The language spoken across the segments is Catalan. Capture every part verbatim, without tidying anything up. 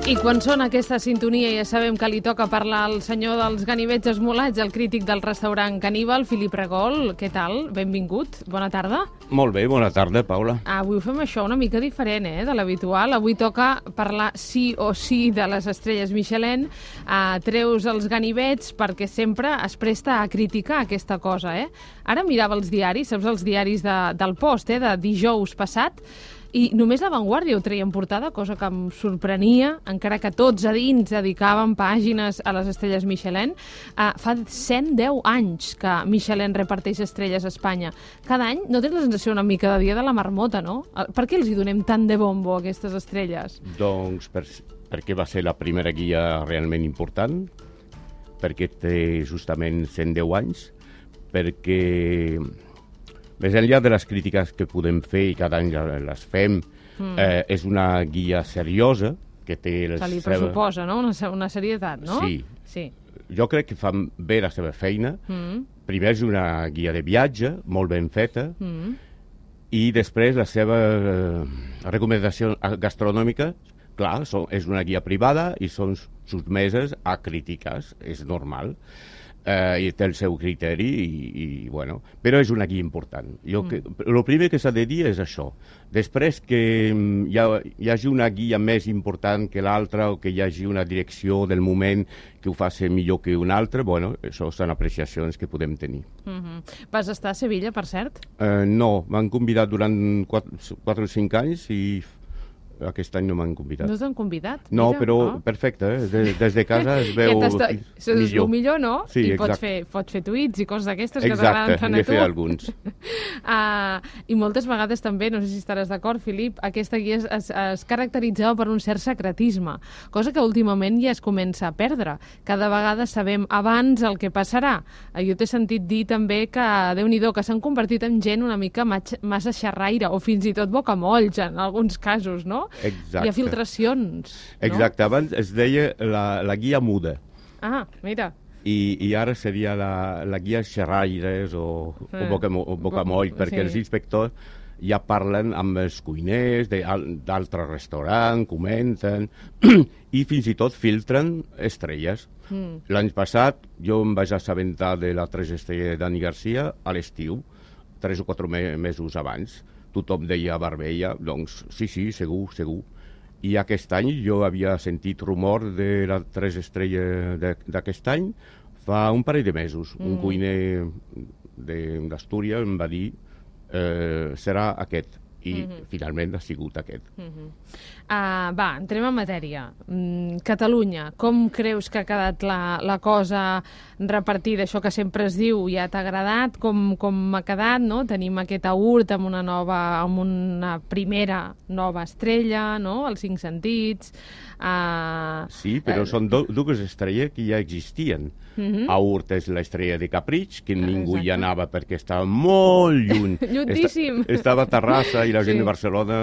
I quan sona aquesta sintonia ja sabem que li toca parlar al senyor dels ganivets esmolats, el crític del restaurant Caníbal, Felip Regol. Què tal? Benvingut. Bona tarda. Molt bé, bona tarda, Paula. Avui ho fem això una mica diferent eh, de l'habitual. Avui toca parlar sí o sí de les estrelles Michelin. Uh, treus els ganivets perquè sempre es presta a criticar aquesta cosa. Eh? Ara mirava els diaris, saps els diaris de, del Post, eh, de dijous passat, i només La Vanguardia ho treia en portada, cosa que em sorprenia, encara que tots a dins dedicaven pàgines a les estrelles Michelin. Uh, fa cent deu anys que Michelin reparteix estrelles a Espanya. Cada any, no tens la sensació una mica de dia de la marmota, no? Per què els hi donem tant de bombo a aquestes estrelles? Doncs per, perquè va ser la primera guia realment important, perquè té justament cent deu anys, perquè més enllà de les crítiques que podem fer i cada any les fem, mm. eh, és una guia seriosa que té... Se li pressuposa, no? Una, una serietat, no? Sí. sí. Jo crec que fan bé la seva feina. Mm. Primer és una guia de viatge, molt ben feta, mm. i després la seva eh, recomanació gastronòmica, clar, són, és una guia privada i són sotmeses a crítiques, és normal. Uh, i té el seu criteri, i, i, bueno, però és una guia important. Jo que, mm. El primer que s'ha de dir és això. Després que hi, ha, hi hagi una guia més important que l'altra o que hi hagi una direcció del moment que ho faci millor que una altra, bueno, això són apreciacions que podem tenir. Mm-hmm. Vas estar a Sevilla, per cert? Uh, no, m'han convidat durant quatre o cinc anys i aquest any no m'han convidat. No t'han convidat? No, Mira, però oh. perfecte, eh? des, des de casa es veu millor. Es veu millor, no? Sí, I exacte. pots fer, pots fer tuits i coses d'aquestes que t'agraden tant a tu. Exacte, n'he fet alguns. uh, I moltes vegades també, no sé si estaràs d'acord, Felip, aquesta guia es, es, es caracteritzava per un cert secretisme, cosa que últimament ja es comença a perdre. Cada vegada sabem abans el que passarà. Uh, jo t'he sentit dir també que, Déu-n'hi-do, que s'han convertit en gent una mica massa xerraire, o fins i tot bocamolls, en alguns casos, no? Exacte. Hi ha filtracions, no? Exacte, abans es deia la, la guia muda. Ah, mira. I, i ara seria la, la guia xerraires o, eh. o, bocamo, o bocamoll, perquè sí. Els inspectors ja parlen amb els cuiners d'altres restaurants, comenten, i fins i tot filtren estrelles. Mm. L'any passat jo em vaig assabentar de la tres estrelles de Dani Garcia a l'estiu, tres o quatre me mesos abans. Tothom deia a Barbella, doncs sí, sí, segur, segur. I aquest any jo havia sentit rumor de les tres estrelles d'aquest any fa un parell de mesos. Mm. Un cuiner d'Astúries em va dir eh, serà aquest. I mm-hmm. finalment ha sigut aquest. Mm-hmm. uh, va, entrem en matèria. Mm, Catalunya, com creus que ha quedat la, la cosa repartida? Això que sempre es diu, ja t'ha agradat? Com, com ha quedat, no? Tenim aquest aurt amb una nova, amb una primera nova estrella, no? Els cinc sentits. Uh, sí, però uh, són do, dues estrelles que ja existien. Mm-hmm. Aurt és l'estrella de Capritx, que ningú Exacte. Hi anava perquè estava molt lluny. Llunyíssim. Esta, estava a Terrassa i la gent sí. de Barcelona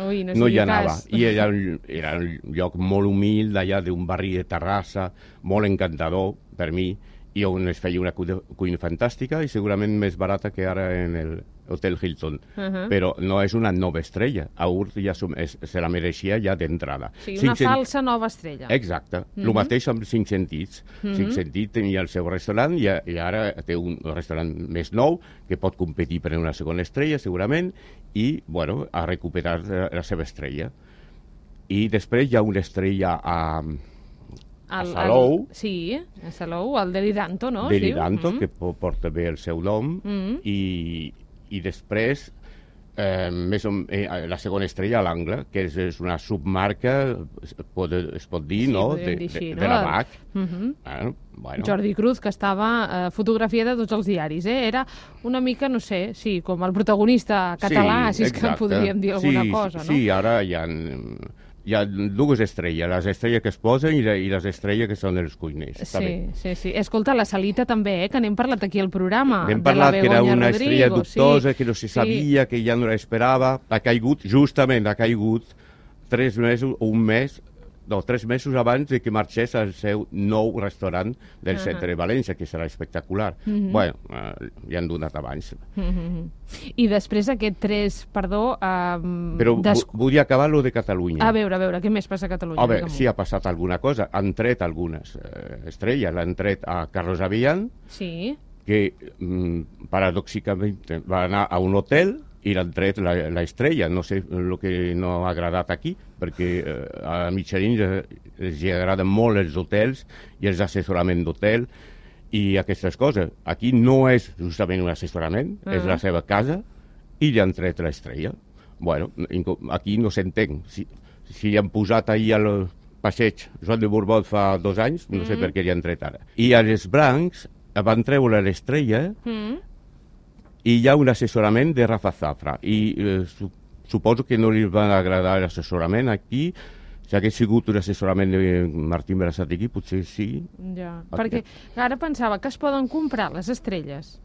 Ui, no, no hi anava. Cas. I era, era un lloc molt humil, d'allà d'un barri de Terrassa, molt encantador per mi, i on es feia una cuina fantàstica i segurament més barata que ara en el Hotel Hilton. Uh-huh. Però no és una nova estrella. Aurt ja es, se la mereixia ja d'entrada. Sí, una cinc falsa nova estrella. Exacte. Uh-huh. El mateix amb Cinc Sentits. Uh-huh. Cinc Sentits tenia el seu restaurant i, i ara té un restaurant més nou que pot competir per una segona estrella, segurament, i, bueno, ha recuperat la seva estrella. I després hi ha una estrella a... a el, Salou. El, sí, a Salou, el Deliranto, no? Deliranto, sí? que porta bé el seu nom, mm-hmm. i, i després eh, més o, eh, la segona estrella a l'Angle, que és, és una submarca, es pot, es pot dir, sí, no?, de, dir així, de, no? de la B A C. Mm-hmm. Bueno, bueno. Jordi Cruz, que estava eh, fotografiada a tots els diaris, eh? Era una mica, no sé, sí, com el protagonista català, sí, si és que podríem dir alguna sí, cosa, no? Sí, ara hi ha... Hi ha dues estrelles, les estrelles que es posen i, i les estrelles que són els cuiners. Sí, sí, sí. Escolta, la Salita també, eh, que n'hem parlat aquí al programa. N'hem parlat que era una Rodrigo, estrella dubtosa, sí, que no se sabia, sí. que ja no l'esperava. Ha caigut, justament ha caigut, tres mesos o un mes no, tres mesos abans de que marxés al seu nou restaurant del Uh-huh. centre de València, que serà espectacular. Mhm. Bueno, eh, ja han donat abans. Mhm. I després aquest tres, perdó... Um, Però des... vu- vull acabar lo de Catalunya. A veure, a veure, què més passa a Catalunya? Home, Digue'm-ho. sí, ha passat alguna cosa. Han tret algunes eh, estrelles. L'han tret a Carlos Avellán, Sí. que mm, paradòxicament va anar a un hotel i l'han tret la, la estrella. No sé el que no ha agradat aquí, perquè eh, a Michelin eh, els agraden molt els hotels i els assessoraments d'hotel i aquestes coses. Aquí no és justament un assessorament, uh -huh. és la seva casa i li han tret l'estrella. Bueno, aquí no s'entén. Si, si li han posat ahir al passeig Joan de Borbó fa dos anys, no sé Mm. per què li han tret ara. I als Brancs van treure l'estrella Mm. i hi ha un assessorament de Rafa Zafra. I eh, su suposo que no li va agradar l'assessorament aquí. Si hagués sigut un assessorament de Martín Berasategui, potser sí. Ja, Ok. perquè ara pensava que es poden comprar les estrelles.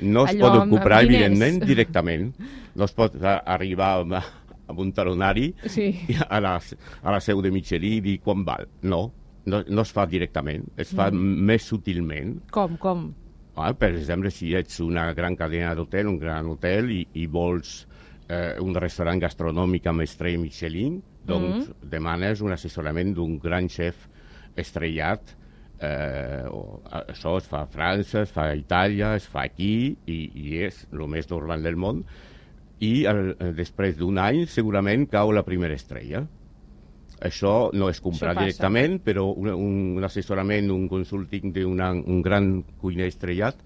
No es Allò poden amb- comprar, amb diners. evidentment, directament. No es pot a- arribar amb, amb un talonari Sí. a la, a la seu de Michelin i dir quan val. No, no, no es fa directament, es fa mm. més sutilment. Com, com? Ah, per exemple, si ets una gran cadena d'hotel, un gran hotel, i, i vols eh, un restaurant gastronòmic amb estrella Michelin, doncs mm. demanes un assessorament d'un gran xef estrellat. Eh, o, això es fa a França, es fa a Itàlia, es fa aquí, i, i és el més normal del món. I el, després d'un any segurament cau la primera estrella. Això no és comprar directament, però un, un assessorament, un consulting d'un gran cuiner estrellat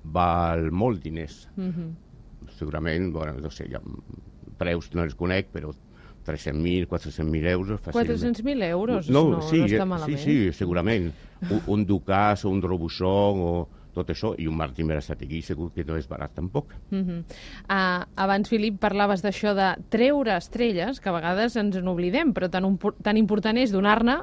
val molt diners. Mm-hmm. Segurament, bueno, no sé, ja, preus no els conec, però tres-cents mil, quatre-cents mil euros fàcilment. quatre-cents mil euros? No, no, sí, no està sí, malament. sí, segurament. Un, un Ducasse o un Robuchon o tot això, i un Martín Berasategui segur que no és barat tampoc. Uh-huh. uh, abans, Filip, parlaves d'això de treure estrelles, que a vegades ens en oblidem, però tan, tan important és donar-ne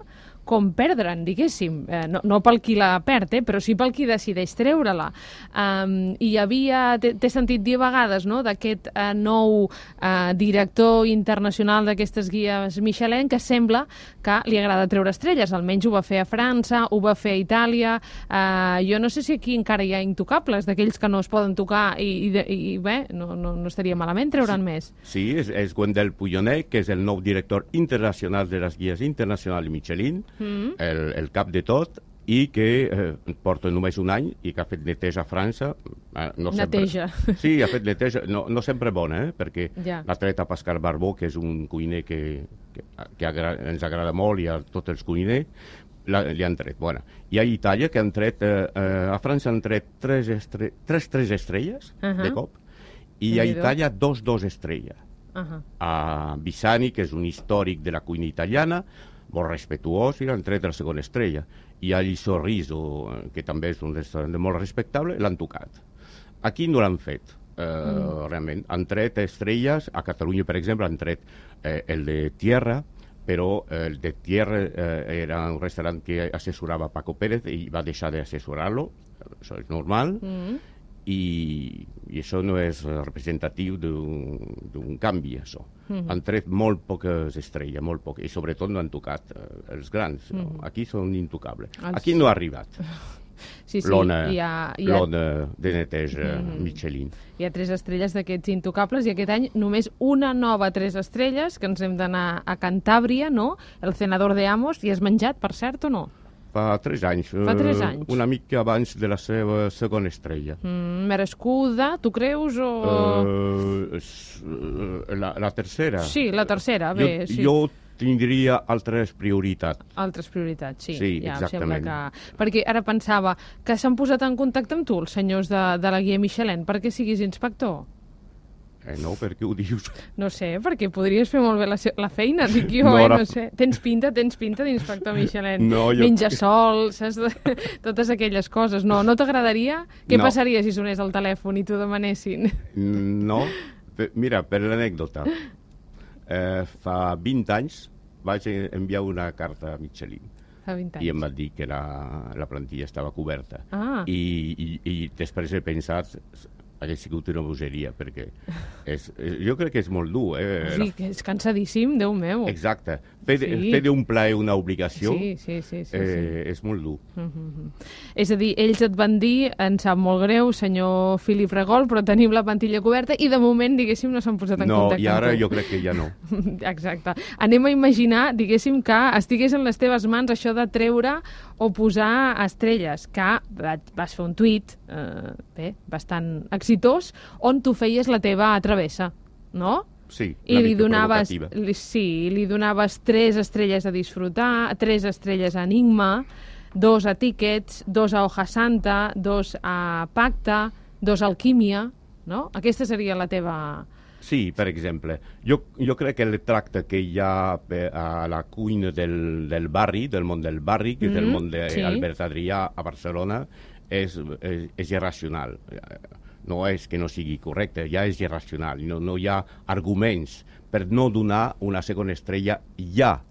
com perdre'n, diguéssim. Eh, no, no pel qui la perd, eh, però sí pel qui decideix treure-la. Um, I hi havia, t'he sentit dir a vegades, no?, d'aquest uh, nou uh, director internacional d'aquestes guies Michelin, que sembla que li agrada treure estrelles. Almenys ho va fer a França, ho va fer a Itàlia. Uh, jo no sé si aquí encara hi ha intocables, d'aquells que no es poden tocar, i, i, i bé, no, no, no estaria malament treure'n sí, més. Sí, és, és Wendell Puyonet, que és el nou director internacional de les guies internacionals Michelin, mm. el, el cap de tot, i que eh, porta només un any i que ha fet neteja a França. Eh, no neteja. Sempre, sí, ha fet neteja, no, no sempre bona, eh, perquè ja. l'ha tret a Pascal Barbó, que és un cuiner que, que, que agra ens agrada molt, i a tots els cuiners, la, li han tret. Bueno, i a Itàlia, que han tret, eh, eh, a França han tret tres, estre tres, tres estrelles uh -huh. de cop, i a Itàlia dos, dos estrelles. Uh -huh. A Bisani, que és un històric de la cuina italiana, molt respectuós, i l'han tret la segona estrella. I a Sorriso, que també és un restaurant molt respectable, l'han tocat. Aquí no l'han fet, eh, mm. realment. Han tret estrelles, a Catalunya, per exemple, han tret eh, el de Tierra, però eh, el de Tierra eh, era un restaurant que assessorava Paco Pérez i va deixar d'assessorar-lo, això és normal, mm. i, i això no és representatiu d'un canvi, això. Mm-hmm. Han tret molt poques estrelles, molt poques, i sobretot no han tocat eh, els grans. Mm-hmm. No? Aquí són intocables. Els... Aquí no ha arribat. Sí, sí, l'ona hi ha, hi ha... de neteja mm. Michelin. Hi ha tres estrelles d'aquests intocables, i aquest any només una nova tres estrelles, que ens hem d'anar a Cantàbria, no? El Cenador de Amos, i has menjat, per cert, o no? Fa tres anys. Fa tres anys. Uh, una mica abans de la seva segona estrella. Mm, merescuda, tu creus, o...? Uh, la, la tercera. Sí, la tercera, bé, jo, sí. Jo tindria altres prioritats. Altres prioritats, sí. Sí, ja, exactament. Que... Perquè ara pensava que s'han posat en contacte amb tu, els senyors de, de la guia Michelin, perquè siguis inspector. Eh, no, per què ho dius? No sé, perquè podries fer molt bé la, la feina, dic jo, no, eh? ara... No sé. Tens pinta, tens pinta d'inspector Michelin. No, jo... Menja sol, saps? Totes aquelles coses. No, no t'agradaria? Què no. passaria si sonés el telèfon i t'ho demanessin? No, mira, per l'anècdota. Eh, fa vint anys vaig enviar una carta a Michelin. Fa vint anys. I em va dir que la, la plantilla estava coberta. Ah. I, i, i després he pensat, hagués sigut una bogeria, perquè És, jo crec que és molt dur. Eh? Sí, que és cansadíssim, Déu meu. Exacte. Fer, Sí. fer d'un plaer una obligació Sí, sí, sí. sí, eh, sí. és molt dur. Mm-hmm. És a dir, ells et van dir, em sap molt greu, senyor Filip Regol, però tenim la plantilla coberta i de moment, diguéssim, no s'han posat en No, contacte i ara amb tu. jo crec que ja no. Exacte. Anem a imaginar, diguéssim, que estigués en les teves mans això de treure o posar estrelles, que vas fer un tuit, eh, bé, bastant exitós, on tu feies la teva travessa, no? Sí, I una li mica donaves, provocativa. li, sí, li donaves tres estrelles a disfrutar, tres estrelles a Enigma, dos a Tickets, dos a Hoja Santa, dos a Pacte, dos a Alquímia, no? Aquesta seria la teva... Sí, per exemple. Jo, jo crec que el tracte que hi ha eh, a la cuina del, del barri, del món del barri, que és el Mm, món sí. d'Albert Adrià a Barcelona, és, és, és irracional. No és que no sigui correcte, ja és irracional. No, no hi ha arguments per no donar una segona estrella ja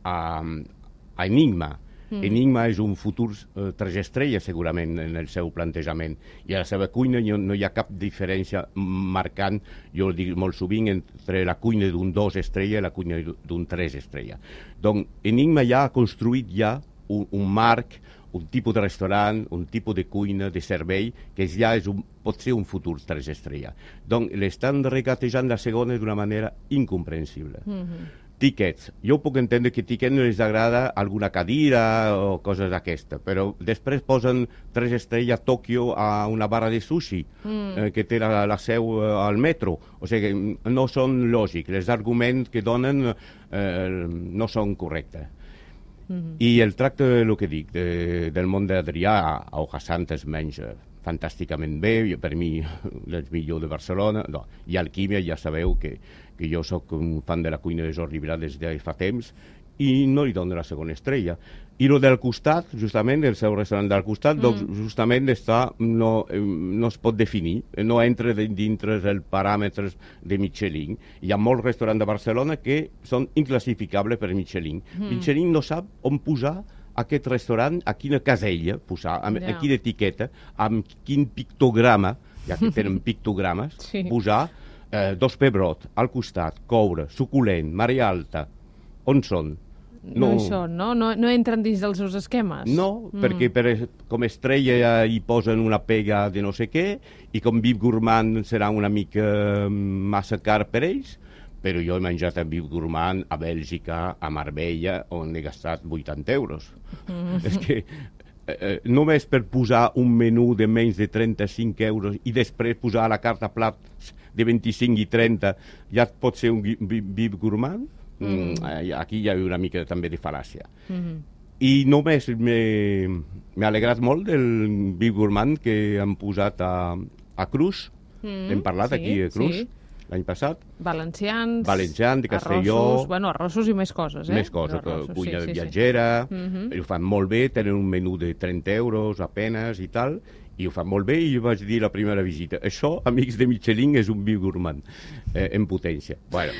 a, a Enigma. Mm. Enigma és un futur eh, tres estrelles, segurament, en el seu plantejament. I a la seva cuina no, no hi ha cap diferència marcant, jo ho dic molt sovint, entre la cuina d'un dos estrella i la cuina d'un tres estrella. Donc, Enigma ja ha construït ja un, un marc, un tipus de restaurant, un tipus de cuina, de servei, que ja és un, pot ser un futur tres estrella. Donc, l'estan regatejant la segona d'una manera incomprensible. Mm-hmm. Tickets. Jo puc entendre que Tickets no els agrada alguna cadira o coses d'aquesta, però després posen tres estrelles a Tòquio a una barra de sushi mm. eh, que té la, la seu eh, al metro. O sigui, no són lògics. Els arguments que donen eh, no són correctes. Mm-hmm. I el tracte, el que dic, de, del món d'Adrià a Hoja Santa es menja fantàsticament bé, per mi és millor de Barcelona. No. I Alquímia ja sabeu que, que jo sóc un fan de la cuina de Jordi Vilar des de fa temps i no li dono la segona estrella. I el del costat, justament, el seu restaurant del costat, mm. doncs justament està, no, no es pot definir, no entra dintre dels paràmetres de Michelin. Hi ha molts restaurants de Barcelona que són inclassificables per Michelin. Mm. Michelin no sap on posar aquest restaurant, a quina casella posar, amb, yeah. a quina etiqueta, amb quin pictograma, ja que tenen pictogrames, sí. posar eh, dos pebrot al costat, coure, suculent, marea alta, on són? No, no hi són, no? no? No entren dins dels seus esquemes? No, mm. perquè per, com estrella hi posen una pega de no sé què, i com Vip Gourmand serà una mica massa car per ells, però jo he menjat a Vip Gourmand a Bèlgica, a Marbella, on he gastat vuitanta euros. Mm. És que eh, només per posar un menú de menys de trenta-cinc euros i després posar a la carta plats de vint-i-cinc i trenta, ja pot ser un Vip Gourmand? Mm. Mm, aquí hi ha una mica també de fal·làcia. Mm-hmm. I només m'ha alegrat molt del Vip Gourmand que han posat a, a Cruz. Mm, hem parlat sí, aquí a Cruz. Sí. L'any passat. Valencians, Valencians, de Castelló... Arrossos, bueno, arrossos i més coses, eh? Més coses, arrossos, cuina sí, sí, viatgera, sí. Mm-hmm. ho fan molt bé, tenen un menú de trenta euros apenes i tal, i ho fan molt bé, i jo vaig dir la primera visita, això, amics de Michelin, és un Vip Gourmand, eh, en potència. Bueno,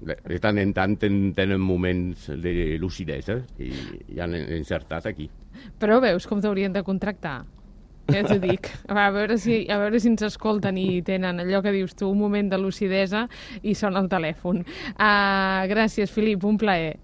de tant en tant tenen moments de lucidesa i, i han encertat aquí. Però veus com t'haurien de contractar? Ja t'ho dic. A veure, si, a veure si ens escolten i tenen allò que dius tu, un moment de lucidesa i sona el telèfon. Uh, gràcies, Filip, un plaer.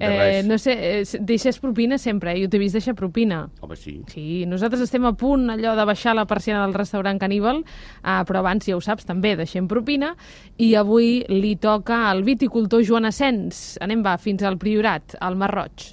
Eh, no sé, eh, deixes propina sempre, eh? Jo t'he vist deixar propina. Home, sí. Sí, nosaltres estem a punt allò de baixar la persiana del restaurant Caníbal, eh, però abans, ja ho saps, també deixem propina, i avui li toca al viticultor Joan Asens. Anem, va, fins al Priorat, al Mar Roig.